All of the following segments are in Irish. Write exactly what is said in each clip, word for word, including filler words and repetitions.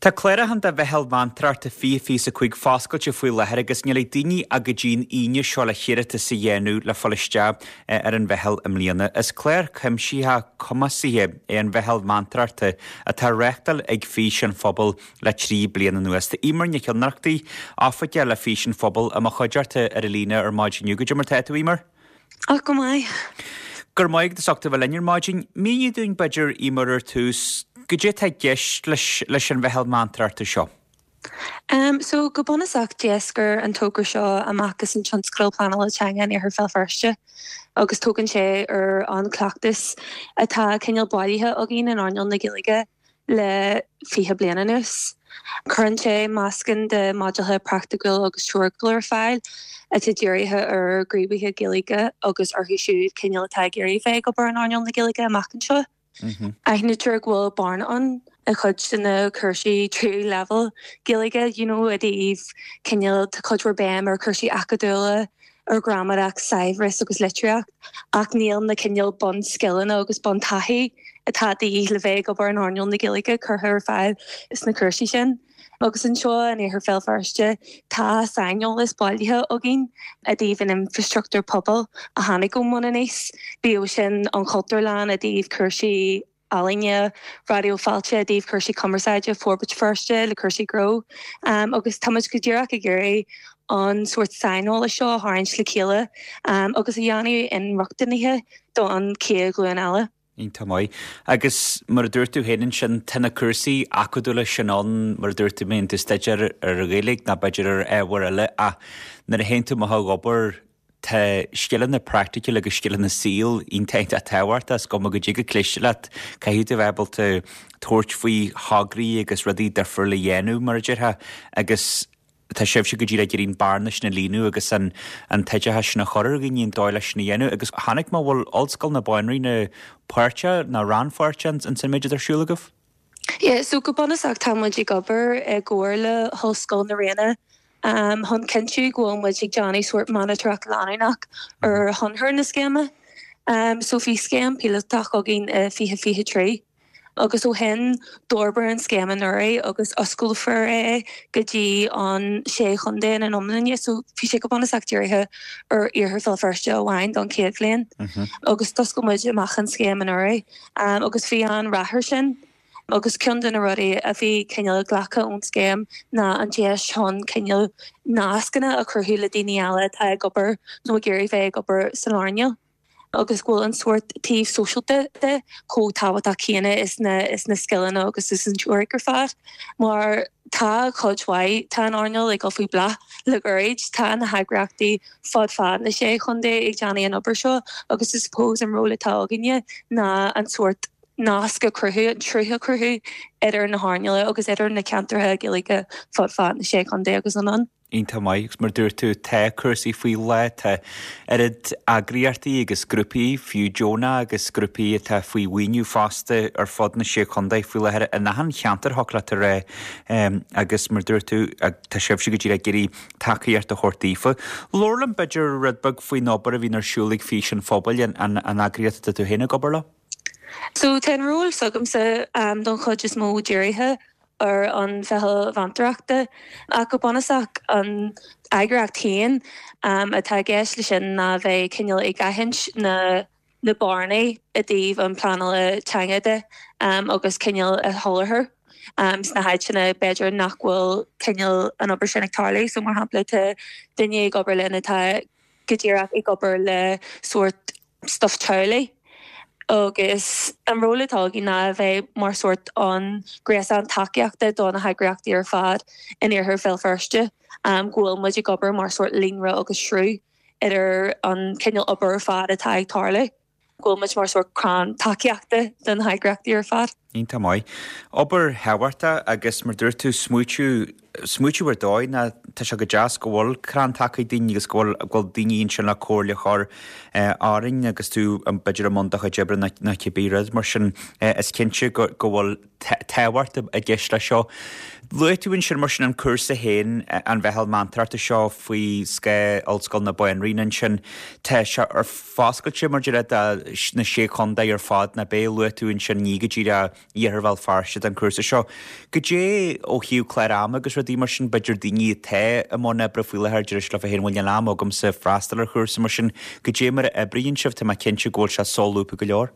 Tá cláraithe do Mheitheal Mheantóireachta fiche fiche is a cúig foscailte faoi láthair agus níl ag daoine ach go dtí an Aoine seo le hiarratas a dhéanamh le fáil isteach ar an mheitheal i mbliana. Is clár cuimsitheach cumasaithe é an Mheitheal Mheantóireachta atá á reáchtáil ag Fís an Phobail le trí bliana anuas. Tá Emer Nic Ionnrachtaigh, Oifigeach le Fís an Phobail i mo chuideachta ar an líne ar maidin inniu. Goidé mar tá tú, Emer? Ach go maith. Go raibh maith agat as ucht a bheith linn ar maidin. Mínigh dúinn b'fhéidir Emer ar tús, goidé atá i gceist leis leis an mheitheal meantóireachta seo. Um, so go bunúsach d'éascair an togra seo amach as an tionscadal pleanála teanga in Iarthar Bhéal Feirste agus tógann sé ar an cleachtas atá cineál bailithe againn in earnáil na Gaeilge le fiche bliain anuas. Cuireann sé meascán de modhanna praiticiúil agus teoiriciúil ar fáil atá dírithe ar ghníomhaithe Gaeilge agus orthu siúd cineál atá ag iarraidh bheith ag obair in earnáil na Gaeilge amach anseo. Aithnítear go bhfuil bearna ann i chuid de na cúrsaí tríú leibhéal Gaeilge, you know, i dtaobh cineál tá cuid mhór béim ar chúrsaí acadúla, ar ghramadach, saibhreas agus litríocht, ach níl na cineál bunscileanna agus buntaithí atá de dhíth le bheith ag obair in earnáil na Gaeilge curtha ar fáil sna cúrsaí sin. Agus anseo in Iarthar Bhéal Feirste tá saineolas bailithe againn i dtaobh an infrastruchtúr pobail a tháinig ón mbun aníos, bíodh sin an Chultúrlann i dtaobh cúrsaí ealaíne, Raidió Fáilte i dtaobh cúrsaí cumarsáide, Forbairt Feirste le cúrsaí gnó. Um, agus táimid go díreach ag iarraidh an sórt saineolais seo a tharraingt le chéile um, agus a dhéanamh inrochtana don chéad ghlúin eile. Iontach maith. Agus mar a dúirt tú féin ansin tá na cúrsaí acadúla sin ann mar a dúirt tú mbíonn tú ag staidéar ar Ghaeilge nó b'fhéidir ar ábhar eile ach nuair a théann tú amach ag obair tá scileanna praiticiúla agus scileanna saoil iontach tábhachtach is cuma goidé chomh cliste leat caithfidh tú bheith ábalta tabhairt faoi thograí agus rudaí difriúla a dhéanamh mar a déarfá agus tá sibhse go díreach ag iarraidh an bhearna sin a líonadh agus an an t-oideachas sin a chur ar dhaoine an dóigh leis sin a dhéanamh agus chonaic mé go bhfuil Ollscoil na Banríona páirteach nó rannpháirteach an méid ar siúl agaibh? Yeah, so go bunúsach tá muid ag obair i gcomhar le hOllscoil na Ríona um, chun cinntiú go bhfuil muid ag déanamh sórt monatóireacht leanúnach ar thionchar na scéime. Um, so bhí scéim píolótach againn uh, fiche fiche trí. Agus ó shin d'fhorbair an scéim anuraidh agus osclófar é go dtí an sé chontae ina n-iomláine, so bhí sé go bunúsach dírithe ar Iarthar Bhéal Feirste amháin don chéad bhliain. Agus d'oscail muid amach an scéim anuraidh um, agus bhí an-rath air sin. Agus ceann de na rudaí a bhí cineál glactha ón scéim ná an deis chun cineál nascanna a chruthú le daoine eile atá ag obair nó ag iarraidh bheith ag obair san earnáil. Agus go bhfuil an sórt taobh sóisialta de chomh tábhachtach céanna is na is na scileanna agus is an teoiric ar fad. Mar tá cuid mhaith tá an earnáil ag dul faoi bhláth le gairid tá na heagraíochtaí fud fad na sé chontae ag déanamh an obair seo agus is suppose an ról atá againne ná an sórt nasc a chruthú an sruth a chruthú idir na hearnála agus idir na ceantartha Gaeilge fud fad na sé chontae agus anonn. Iontach maith agus mar dúirt tú tá cúrsaí faoi leith tá oiread eagraíochtaí agus grúpaí fiú deonacha agus grúpaí atá faoi mhaoiniú fosta ar fud na sé chontae faoi láthair in achan cheantar thiocfadh leat a rá agus mar dúirt tú tá sibhse go díreach ag iarraidh tacaíocht a thabhairt daofa. Labhair liom b'fhéidir rud beag faoin obair a bhíonn ar siúl ag Fís an Phobail an, an, an eagraíocht atá tú féin ag obair leo? So tá an ról s'agamsa um, don chuid is mó dírithe ar an mheitheal mheantóireachta ach go bunúsach an eagraíocht féin um, atá i gceist leis sin ná bheith cineál ag aithint na na bearnaí i dtaobh an pleanála teanga de um, agus cineál a sholáthar. Um, sna háiteanna b'fhéidir nach bhfuil cineál an obair sin ag tarlú, so mar shampla tá duine ag obair linn atá go díreach ag obair le sórt stuff teaghlaigh. Agus an ról atá againn ná a bheith mar sórt an gréasán tacaíochta do na heagraíochtaí ar fad in Iarthar Bhéal Feirste, um, go bhfuil muid ag obair mar sórt líonra agus sruth idir an cineál obair ar fad atá ag tarlú. Go bhfuil muid mar sórt crann tacaíochta don heagraíochtaí ar fad. Iontach maith. Obair thábhachtach agus mar dúirt tú smaoitiú smaoitiú ar dóigh ná tá sé go deas go bhfuil crann taca ag daoine agus go bhfuil go bhfuil daoine ansin le comhairle a chur orainn agus tú b'fhéidir i mbun do chuid oibre nó cibé rud mar sin is cinnte go go bhfuil tábhacht i gceist leis seo. Luaigh tú ansin mar sin an cúrsa féin an mheitheal meantóireachta seo faoi scáth Ollscoil na Banríona ansin tá sé ar foscailte mar deir na sé chontae ar fad na bé luaigh tú ansin ní go díreach Iarthar Bhéal Feirste don chúrsa seo. Goidé ó thaobh clár ama agus rudaí mar sin, b'fhéidir daoine atá i mbun oibre faoi láthair, deir siad leo féin bhuel níl am agamsa freastal ar chúrsa mar sin, goidé mar a oibríonn sibh, tá mé cinnte go bhfuil sé solúbtha go leor.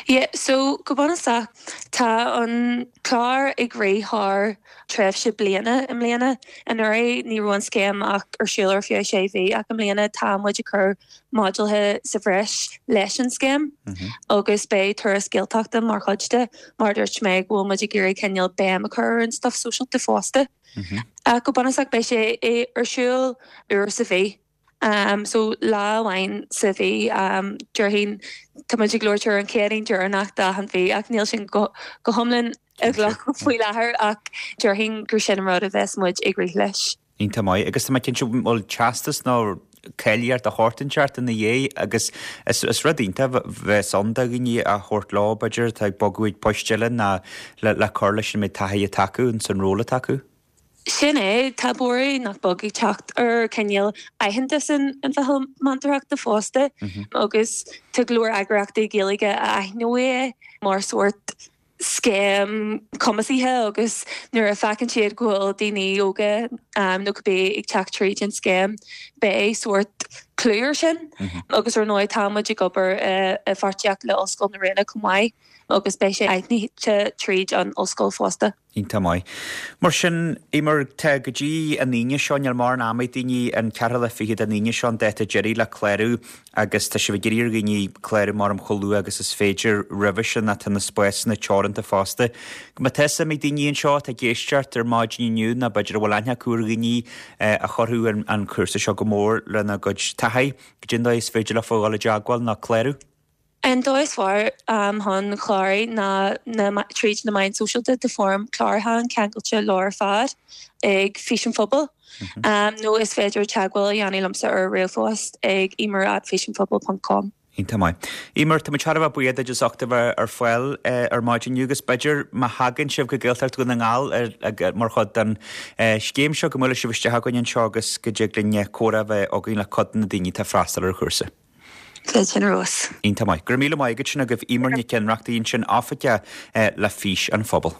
Yeah, so go bunúsach tá an clár ag rith thar tréimhse bliana i mbliana. Anuraidh ní raibh an scéim ach ar siúl ar feadh sé mhí ach i mbliana tá muid ag cur modúlaithe sa bhreis leis an scéim agus beidh turas Gaeltachta mar chuid de, mar dúirt mé go bhfuil muid ag iarraidh cineál béim a chur ar an stuff sóisialta fosta. Ach go bunúsach beidh sé ar siúl uair sa mhí. Um, so lá amháin sa mhí um, déarfainn tá muid ag labhairt ar an Chéadaoin deireanach d'achan mhí ach níl sin go, go hiomlán i gcloch faoi láthair ach déarfainn gur sin an rud a bheas muid ag rith leis. Iontach maith agus tá mé cinnte bhfuil teastas nó cáilíocht de shórt inteacht ina dhiaidh agus is, is rud iontach bheas ann do dhaoine a thabhairt leo b'fhéidir atá ag bogadh ag poist eile ná le, le cur leis an méid taithí atá acu san ról atá acu. Sin é tá borradh nach beag ag teacht ar cineál aitheantas an an mheitheal meantarachta fosta agus tá go leor eagraíochtaí Gaeilge a aithneoidh é mar sórt scéim cumasaithe agus nuair a fheiceann siad go bhfuil daoine óga um, nó cibé ag teacht tríd an scéim beidh sórt clú air sin agus ar ndóigh tá muid ag obair i bpáirtíocht le Ollscoil na Ríona chomh maith agus beidh sé aithnite tríd an ollscoil fosta. Iontach maith. Mar sin Eimear tá go dtí an Aoine seo níl mórán ama ag daoine an ceathrú lá fichead den Aoine seo an dáta deiridh le clárú agus tá sibh ag iarraidh ar dhaoine clárú mar am chomh luath agus is féidir roimhe sin tá na spásanna teoranta fosta. Má tá suim ag daoine anseo atá ag éisteacht ar maidin inniu nó b'fhéidir a bhfuil aithne acu ar dhaoine a chuirfeadh an cúrsa seo go mór lena gcuid taithí, goidé an dóigh is féidir leofa dhul i dteagmháil nó clárú. An dóigh is fearr um, chun clárú ná na, tríd na meáin sóisialta tá foirm chlárúcháin ceangailte leo ar fad ag Fís an Phobail. Mm -hmm. um, nó is féidir teagmháil a dhéanamh liomsa ar ríomhphost ag eimear at fisanphobal.com. Iontach maith. Eimear tá muid thar a bheith buíoch duit as ucht a bheith ar fáil ar maidin inniu agus b'fhéidir má thagann sibh go Gaeltacht Dhún na nGall mar chuid den scéim seo go mbuailfidh sibh isteach againn anseo agus go dtig linn comhrá a bheith againn le cuid de na daoine atá ag freastal ar an chúrsa. Sin rós. Iontach maith. Go raibh míle maith agat sin agaibh Eimear Nic Ionnrachtaigh ansin oifigeach le Fís an Phobail.